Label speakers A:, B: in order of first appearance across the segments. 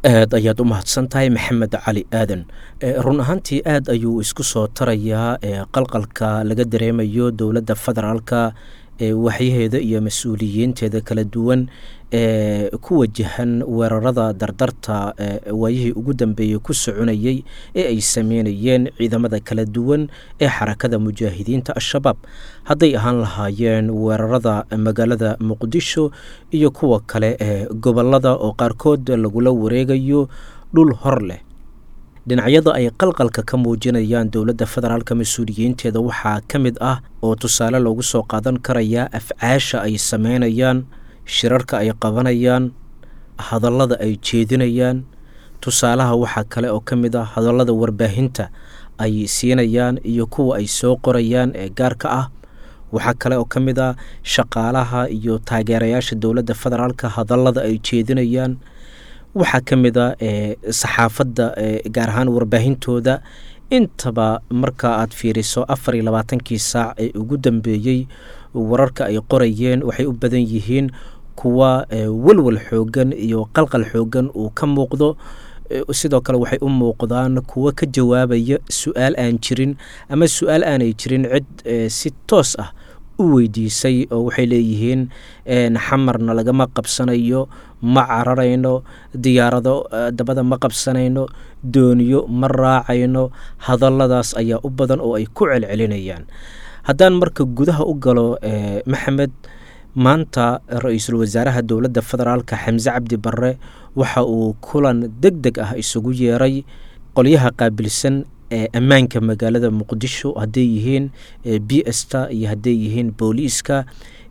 A: Aad ayaad u mahadsan tahay, Maxamed Cali Aadan. Run ahaantii aad ayuu isku soo tarayaa qalqalka laga dareemayo dowladda federaalka, waxyaheeda iyo mas-uuliyiinteeda kala duwan ee ku wajahan weerarada dardarta waayihii ugu dambeeyey ku soconayey ee ay sameynayeen ciidamada kala duwan ee Xarakada Mujaahidiinta Al-Shabaab, hadday ahaan lahaayeen weerarada magaalada Muqdisho iyo kuwa kale ee gobolada oo qaarkood lagula wareegayo dhul hor leh. Dhinacyada ay qalqalka ka muujinayaan dowladda federaalka mas-uuliyiinteeda waxaa ka mid ah oo tusaale loogu soo qaadan karayaa afcaasha ay sameynayaan, shirarka ay qabanayaan, hadallada ay jeedinayaan. Tusaalaha waxaa kale oo ka mid ah hadallada warbaahinta ay siinayaan iyo kuwa ay soo qorayaan ee gaarka ah. Waxaa kale oo ka mid ah shaqaalaha iyo taageerayaasha dowladda federaalka hadallada ay jeedinayaan. Waxaa ka mid a saxaafadda, gaar ahaan warbaahintooda. Intaba marka aad fiiriso 24-kii saac ee ugu dambeeyey, wararka ay qorayeen waxay u badan yihiin kuwa walwal xoogan iyo qalqal xoogan uu ka muuqdo. Sidoo kale waxay u muuqdaan kuwo ka jawaabaya su-aal aan jirin ama su-aal aanay jirin cid si toos ah u weydiisay, oo waxay leeyihiin Xamarna lagama qabsanayo, ma cararayno, diyaarado dabada ma qabsanayno, dooniyo ma raacayno. Hadalladaas ayaa u badan oo ay ku celcelinayaan. Haddaan marka gudaha u galo, Maxamed, maanta ra-iisul wasaaraha dowladda federaalka Xamse Cabdi Barre waxa uu kulan deg deg ah isugu yeeray qolyaha qaabilsan ee ammaanka magaalada Muqdisho, hadday yihiin b sta iyo hadday yihiin booliiska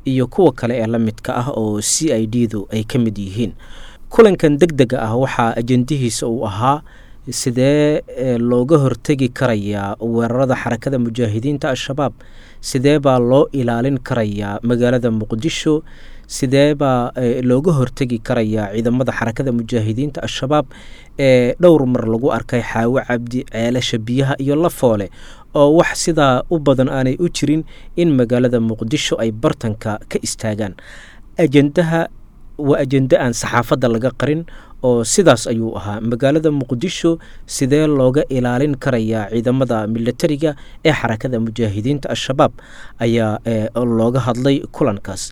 A: iyo kuwa kale ee la midka ah oo c i d du ay ka mid yihiin. Kulankan deg dega ah waxaa ajendihiisa uu ahaa sidee looga hortegi karayaa weerarada Xarakada Mujaahidiinta Al-Shabaab, sidee baa loo ilaalin karayaa magaalada Muqdisho, sidee baa looga hortegi karayaa ciidamada Xarakada Mujaahidiinta Al-Shabaab ee dhowr mar lagu arkay Xaawo Cabdi, Ceelasha Biyaha iyo Lafoole, oo wax sidaa u badan aanay u jirin in magaalada Muqdisho ay bartanka ka istaagaan. Ajendaha waa ajende aan saxaafadda laga qarin oo sidaas ayuu ahaa: magaalada Muqdisho sidee looga ilaalin karayaa ciidamada milatariga ee Xarakada Mujaahidiinta Al-Shabaab ayaa looga hadlay kulankaas.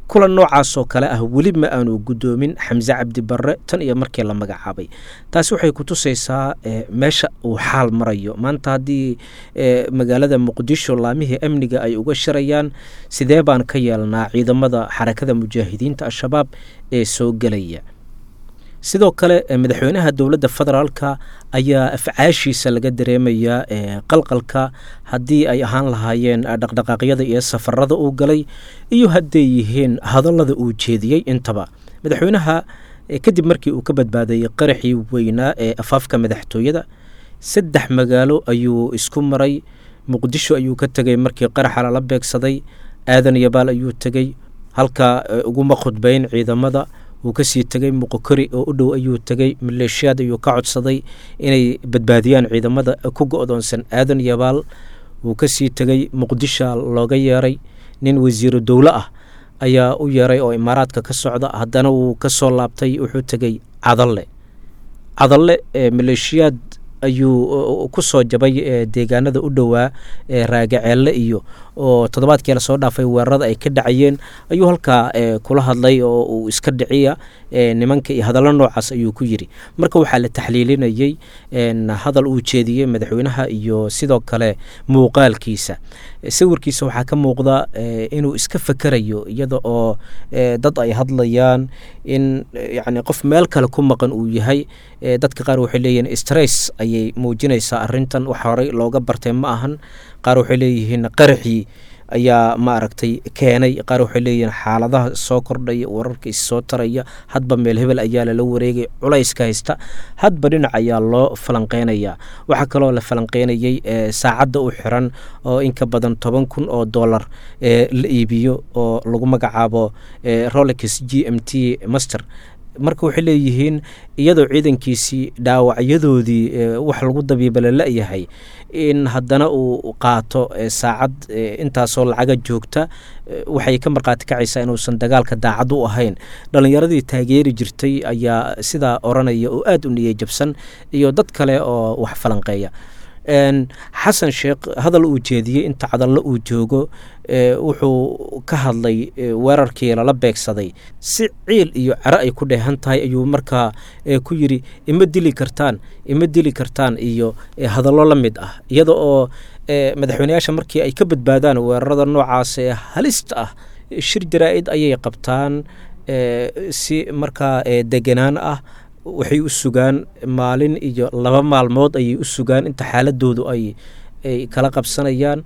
A: Kulan noocaas oo kale ah weli ma aanu guddoomin Xamse Cabdi Barre tan iyo markii la magacaabay. Taasi waxay ku tusaysaa meesha uu xaal marayo maanta. Haddii magaalada Muqdisho laamihii amniga ay uga shirayaan sidee baan ka yeelnaa ciidamada Xarakada Mujaahidiinta Al-Shabaab ee soo gelaya. Sidoo kale madaxweynaha dowladda federaalka ayaa afcaashiisa laga dareemayaa qalqalka, haddii ay ahaan lahaayeen dhaqdhaqaaqyada iyo safarada uu galay iyo hadday yihiin hadallada uu jeediyey intaba. Madaxweynaha kadib markii uu ka badbaadayey qaraxii weynaa ee afaafka madaxtooyada, 3 magaalo ayuu isku maray. Muqdisho ayuu ka tegey markii qaraxa lala beegsaday, Aadan Yabaal ayuu tegey, halkaa uguma khudbeyn ciidamada. Wuu kasii tegey, Muqokori oo u dhow ayuu tegey, maleeshiyaad ayuu ka codsaday inay badbaadiyaan ciidamada ku go-doonsan Aadan Yabaal. Wuu kasii tegey, Muqdisha looga yeeray, nin wasiiru dowlo ah ayaa u yeeray oo Imaaraadka ka socda. Haddana wuu kasoo laabtay, wuxuu tegey Cadalle. Cadalle maleeshiyaad ayuu ku soo jabay deegaanada u dhowaa Raagaceelle iyo oo toddobaadkii lasoo dhaafay weerarada ay ka dhacayeen ayuu halkaa kula hadlay oo uu iska dhiciya nimanka iyo hadallo noocaas ayuu ku yidhi. Marka waxaa la taxliilinayey hadal uu jeediyey madaxweynaha iyo sidoo kale muuqaalkiisa, sawirkiisa waxaa ka muuqda inuu iska fakerayo iyada oo dad ay hadlayaan, in yacni qof meel kale ku maqan uu yahay. Dadka qaar waxay leeyihiin stress ayay muujinaysaa arrintan, wax horey looga bartay ma ahan. Qaar waxay leeyihiin qaraxii ayaa ma aragtay keenay. Qaar waxay leeyihiin xaaladaha soo kordhaya, wararka is soo taraya, hadba meel hebel ayaa lala wareegay, culayska haysta hadba dhinac ayaa loo falanqeynayaa. Waxaa kaloo la falanqeynayey saacadda u xiran oo in ka badan 10,000 oo dollar la iibiyo oo lagu magacaabo Rolex g m t Master. Marka waxay leeyihiin iyadoo ciidankiisii dhaawacyadoodii wax lagu dabiibala la-yahay, in haddana uu qaato saacad intaasoo lacaga joogta, waxay ka markhaati kacaysaa inuusan dagaalka daacad u ahayn. Dhalinyaradii taageeri jirtay ayaa sidaa oranaya oo aada u niyey jabsan, iyo dad kale oo wax falanqeeya. Xasan Sheekh hadal uu jeediyey inta Cadallo uu joogo, wuxuu ka hadlay weerarkii lala beegsaday si ciil iyo cero ay ku dheehan tahay. Ayuu markaa ku yidhi ima dili kartaan, ima dili kartaan, iyo hadallo la mid ah, iyada oo madaxweyneyaasha markii ay ka badbaadaan weerarada noocaas ee halista ah shir jaraa-id ayay qabtaan si markaa deganaan ah. Waxay u sugaan maalin iyo 2 maalmood ayay u sugaan inta xaaladoodu ay kala qabsanayaan.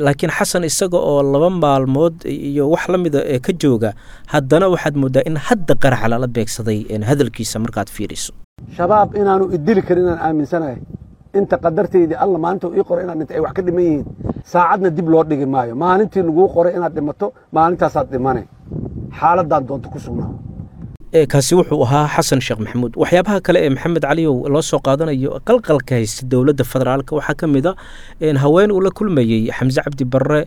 A: Laakiin Xasan isaga oo 2 maalmood iyo wax la mida ka jooga, haddana waxaad moodaa in hadda qaraxa lala beegsaday hadalkiisa markaad fiiriso.
B: Shabaab inaanu idili karin inaan aaminsanahay, inta qadartaydii Alla maalinta ii qoray inaad dhinta ay wax ka dhiman yihiin, saacadna dib loo dhigi maayo. Maalintii laguu qoray inaad dhimato, maalintaasaad dhimane, xaaladaan doonto ku sugnaa.
A: Kaasi wuxuu ahaa Xasan Sheekh Maxamuud. Waxyaabaha kale ee Maxamed Caliyow loo soo qaadanayo qalqalka haysta dowladda federaalka waxaa ka mid a haween uu la kulmayey Xamse Cabdi Barre,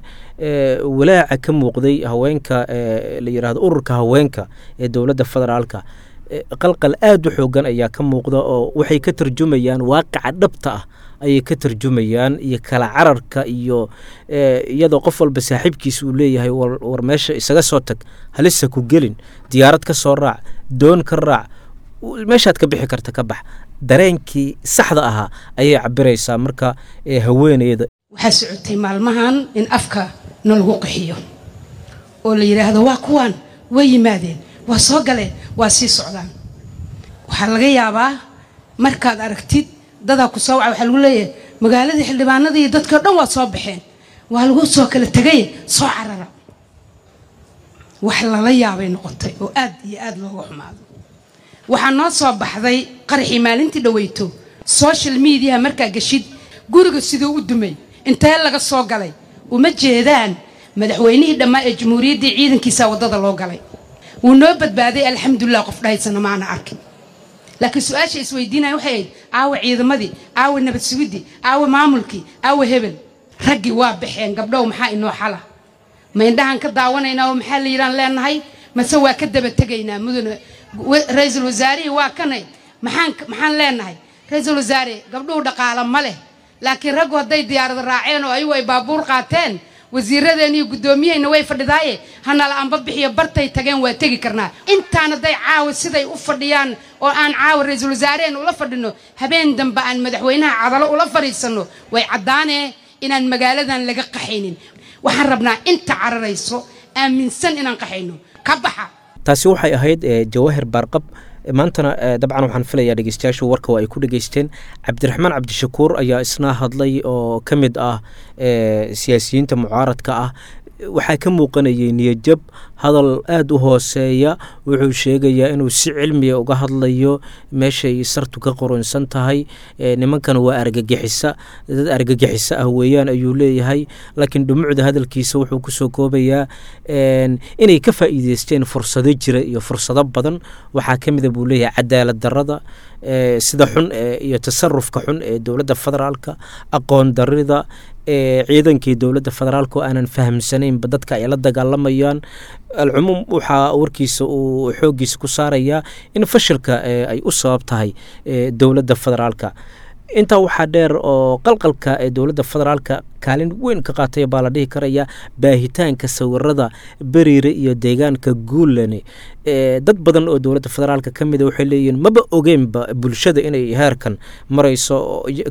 A: walaaca ka muuqday haweenka la yidhahdo ururka haweenka ee dowladda federaalka. Qalqal aada u xoogan ayaa ka muuqda, oo waxay ka tarjumayaan waaqica dhabta ah ayay ka tarjumayaan, iyo kala cararka, iyo iyadoo qof walba saaxiibkiisa uu leeyahay war meesha isaga soo tag, halisa ku gelin, diyaarad ka soo raac, doon ka raac, meeshaad ka bixi karta ka bax. Dareenkii saxda ahaa ayay cabiraysaa marka haweeneyda.
C: Waxaa socotay maalmahan in afka na lagu qaxiyo oo la yidhaahdo waa kuwaan, way yimaadeen, waa soo galeen, waa sii socdaan. Waxaa laga yaabaa markaad aragtid dadaa ku soo waca, waxaa lagu leeyahay magaaladii xildhibaanadii iyo dadkii o dhan waa soo baxeen, waa lagu soo kala tegay, soo carara. Wax lala yaabay noqotay oo aad iyo aad looga xumaado. Waxaa noo soo baxday qaraxii maalintii dhaweyto social mediaha markaa geshid, guriga siduu u dumay, intee laga soo galay, uma jeedaan madaxweynihii dhammaa ee jamhuuriyaddii ciidankiisa waddada loo galay. Wuu noo badbaaday, alxamdulilah, qof dhahaysana maana arkin. Laakiin su-aasha isweydiinaya waxay ahayd aawa ciidamadii, aawa nabad sugidii, aawa maamulkii, aawa hebel? Raggii waa baxeen, gabdhow maxaa inoo xala? Ma indhahaan ka daawanaynaa oo maxaa la yidhaan leenahay, mase waa ka daba tegaynaa? Mudane ra-iisul wasaarihii waa kanay, maxaan leenahay ra-iisul wasaare? Gabdhuhu dhaqaala ma leh, laakiin raggu hadday diyaarad raaceen oo ayagu ay baabuur qaateen, wasiiradeen iyo guddoomiyahayna way fadhidaaye, hanala anba bixiyo, bartay tageen waa tegi karnaa. Intaan hadday caawa siday u fadhiyaan oo aan caawa ra-iisul wasaareheen ula fadhino, habeen dambe aan madaxweynaha Cadalo ula fadhiisanno, way caddaanee inaan magaaladan laga qaxaynin. Waxaan rabnaa inta cararayso aaminsan inaan qaxayno ka baxa.
A: Taasi waxay ahayd Jawaahir Baarqab. Maantana dabcan waxaan filayaa dhegeystayaashu warka oo ay ku dhegeysteen. Cabdiraxmaan Cabdishakuur ayaa isna hadlay oo ka mid ah siyaasiyiinta mucaaradka ah. Waxaa ka muuqanayay niyadjab, hadal aada u hooseeya. Wuxuu sheegayaa inuu si cilmiya uga hadlayo meeshay sartu ka qoronsan tahay. Nimankan waa argagixisa, dad argagixisa ah weeyaan ayuu leeyahay. Laakiin dhumucda hadalkiisa wuxuu kusoo koobayaa inay ka faa'iideysteen fursado jira iyo fursado badan. Waxaa ka mida buu leeyahay cadaalad darrada, sida xun iyo tasarufka xun ee dowladda federaalka, aqoon darrida ciidankii dowladda federaalka oo aanan fahamsanaynba dadka ay la dagaalamayaan. Alcumuum, waxaa warkiisa uu xooggiisa ku saarayaa in fashilka ay u sabab tahay dowladda federaalka. Intaa waxaa dheer oo qalqalka ee dowladda federaalka kaalin weyn ka qaatay baa la dhihi karaya baahitaanka sawirada Beriire iyo deegaanka Guulane. Dad badan oo dowladda federaalka ka mida waxay leeyihiin maba ogeynba bulshada inay heerkan marayso,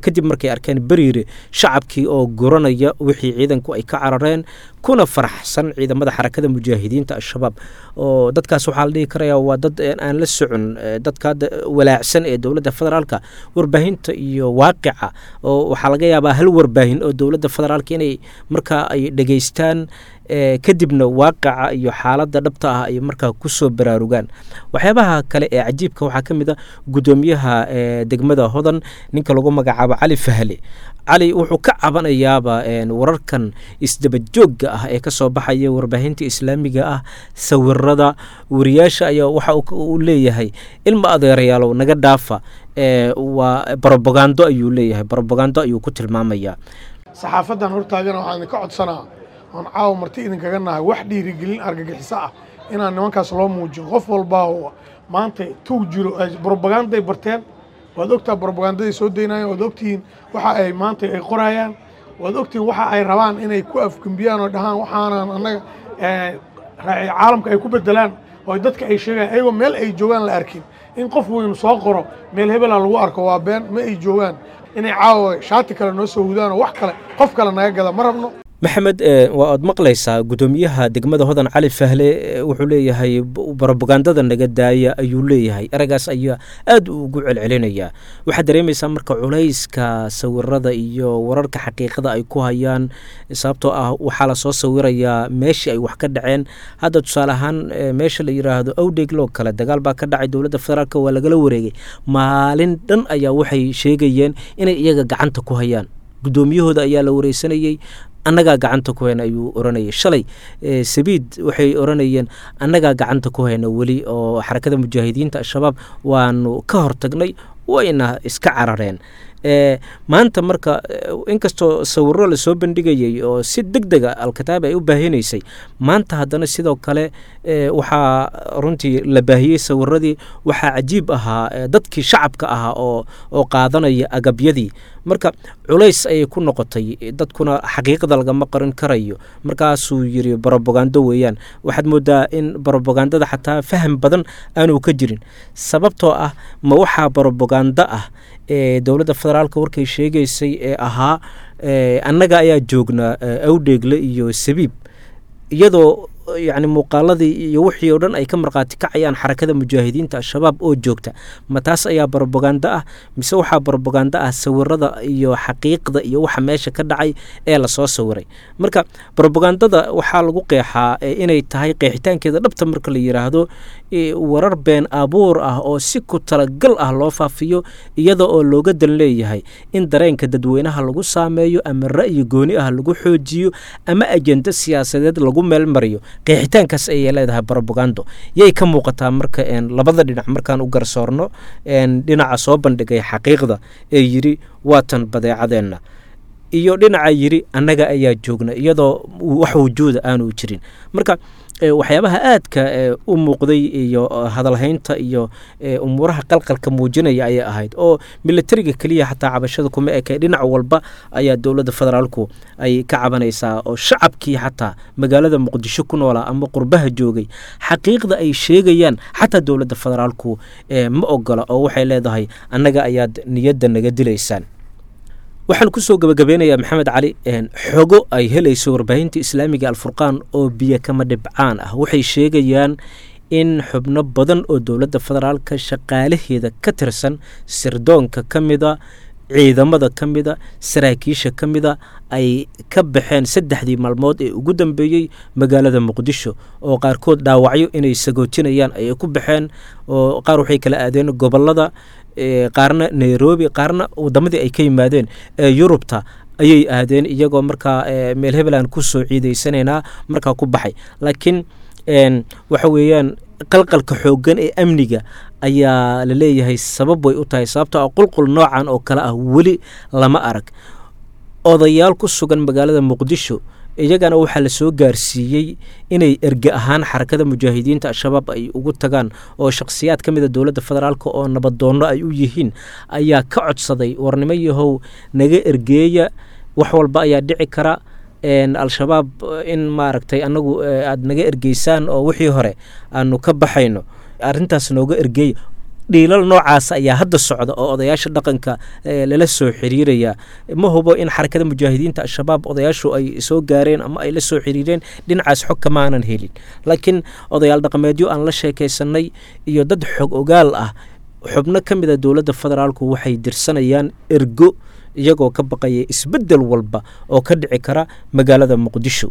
A: kadib markay arkeen Beriire shacabkii oo guranaya wixii ciidanku ay ka carareen, kuna faraxsan ciidamada Xarakada Mujaahidiinta Al-Shabaab. Oo dadkaas waxaa la dhihi karaya waa dad aan la socon, dadka walaacsan ee dowladda federaalka, warbaahinta iyo waaqica, oo waxaa laga yaabaa hal warbaahin oo dowladda federaalka inay markaa ay dhegeystaan, kadibna waaqaca iyo xaaladda dhabta ah ay markaa kusoo baraarugaan. Waxyaabaha kale ee cajiibka waxaa ka mid a guddoomiyaha degmada Hodan, ninka lagu magacaabo Cali Fahle. Cali wuxuu ka cabanayaaba wararkan isdabajoogga ah ee kasoo baxaya warbaahinta islaamiga ah, sawirada wariyaasha ayaa waxa uu leeyahay: "Ilma adeerayaalow, naga dhaafa, waa brobagando," ayuu leeyahay. Brobagando ayuu ku tilmaamayaa.
D: Saxaafadan hortaagana waxaan idinka codsanaa oon caawa marti idinkaga nahay, wax dhiirigelin argagixiso ah inaan nimankaas loo muujin. Qof walbaa maanta tuug jiro, brobaganday barteen. Waad ogtaha brobagandaday soo daynayaan, waad ogtihiin waxa ay maanta ay qorayaan, waad ogtihiin waxa ay rabaan inay ku afgembiyaan oo dhahaan waxaanan annaga caalamka ay ku bedelaan oo dadka ay sheegayaan, ayagoo meel ay joogaan la arkin. In qof weynu soo qoro meel hebelaa lagu arko waa been, ma ay joogaan. Inay caawa shaati kale noo soo hudaan oo wax kale qof kale naga gada ma rabno.
A: Maxamed, waa aad maqlaysaa guddoomiyaha degmada Hodan Cali Fahle, wuxuu leeyahay brobagandada naga daaya ayuu leeyahay. Ereygaas ayaa aad ugu celcelinayaa. Waxaad dareemaysaa marka culayska sawirada iyo wararka xaqiiqada ay ku hayaan, sababtoo ah waxaa lasoo sawirayaa meeshii ay wax ka dhaceen. Hadda tusaale ahaan meesha la yiraahdo Awdheegloo kale dagaal baa ka dhacay, dowladda federaalk waa lagala wareegay. Maalin dhan ayaa waxay sheegayeen inay iyaga gacanta ku hayaan. Guddoomiyahooda ayaa la wareysanayey, "Annagaa gacanta ku hayna," ayuu oranayay. Shalay Sabiid waxay oranayeen, "Annagaa gacanta ku hayna weli oo xarakada mujaahidiinta Al-Shabaab waanu ka hortagnay," wayna iska carareen. Maanta marka, inkastoo sawiro lasoo bandhigayay oo si deg dega Alkataab ay u baahinaysay, maanta haddana sidoo kale waxaa runtii la baahiyey sawiradii. Waxaa cajiib ahaa dadkii shacabka ahaa oo qaadanaya agabyadii. Marka culays ayay ku noqotay, dadkuna xaqiiqda lagama qarin karayo. Markaasuu yiri brobagando weeyaan. Waxaad moodaa in brobagandada xataa faham badan aanu ka jirin, sababtoo ah ma waxaa brobagando ah ee dowladda federaalka warkay sheegaysay ee ahaa annaga ayaa joognaa Awdheegle iyo Sabiib, iyadoo yacni muuqaaladii iyo wixii oo dhan ay ka markhaati kacayaan xarakada mujaahidiinta Al-Shabaab oo joogta? Ma taas ayaa brobagando ah, mise waxaa brobagando ah sawirada iyo xaqiiqda iyo waxa meesha ka dhacay ee lasoo sawiray? Marka brobagandada waxaa lagu qeexaa inay tahay, qeexitaankeeda dhabta marka la yiraahdo, warar been abuur ah oo si ku talagal ah loo faafiyo, iyada oo looga dan leeyahay in dareenka dadweynaha lagu saameeyo, ama ra'yi gooni ah lagu xoojiyo, ama ajendo siyaasadeed lagu meelmariyo. Qeexitaankaas ayay leedahay brobagando. Yay ka muuqataa marka labada dhinac markaan u garsoorno, dhinaca soo bandhigay xaqiiqda ee yidhi waatan badeecadeenna, iyo dhinaca yidhi annaga ayaa joogna, iyadoo wax wujuuda aanu jirin? Marka waxyaabaha aadka u muuqday iyo hadalhaynta iyo umuuraha qalqalka muujinaya ayay ahayd, oo militariga keliya xataa cabashada kuma ekay, dhinac walba ayaa dowladda federaalku ay ka cabanaysaa, oo shacabkii xataa magaalada Muqdisho ku noolaa ama qurbaha joogay xaqiiqda ay sheegayaan xataa dowladda federaalku ma ogola, oo waxay leedahay annaga ayaad niyadda naga dilaysaan. Waxaan kusoo gabagabeynayaa, Maxamed Cali, xogo ay helayso warbaahinta islaamiga Alfurqaan oo biyo kama dhibcaan ah waxay sheegayaan in xubno badan oo dowladda federaalka shaqaalaheeda ka tirsan, sirdoonka ka mida, ciidamada ka mida, saraakiisha ka mida, ay ka baxeen 3dii maalmood ee ugu dambeeyey magaalada Muqdisho, oo qaarkood dhaawacyo inay sagootinayaan ayay ku baxeen, oo qaar waxay kala aadeen gobolada, qaarna Nairobi, qaarna wadamadii ay ka yimaadeen ee Yurubta ayay aadeen, iyagoo markaa meel hebeland kusoo ciidaysanaynaa markaa ku baxay. Laakiin waxa weeyaan qalqalka xooggan ee amniga ayaa la leeyahay sabab way u tahay, sababtoo ah qulqul noocan oo kale ah weli lama arag. Odayaal ku sugan magaalada Muqdisho iyagana waxaa la soo gaarsiiyey inay erge ahaan xarakada mujaahidiinta Al-Shabaab ay ugu tagaan, oo shakhsiyaad ka mida dowladda federaalk oo nabadoonno ay u yihiin ayaa ka codsaday: "Warnimo yahow, naga ergeeya, wax walba ayaa dhici kara, Al-Shabaab in maaragtay annagu aada naga ergeysaan oo wixii hore aanu ka baxayno, arrintaas nooga ergeeya." Dhiilal noocaas ayaa hadda socda oo odayaasha dhaqanka lala soo xiriiraya. Ma hubo in xarakada mujaahidiinta Al-Shabaab odayaashu ay soo gaareen ama ay la soo xiriireen, dhinacaas xog kamaanan helin, laakiin odayaal dhaqameedyo aan la sheekaysanay iyo dad xog ogaal ah, xubno ka mida dowladda federaalku waxay dirsanayaan ergo. Iyagoo ka baqaya isbeddel walba oo ka dhici kara magaalada Muqdisho.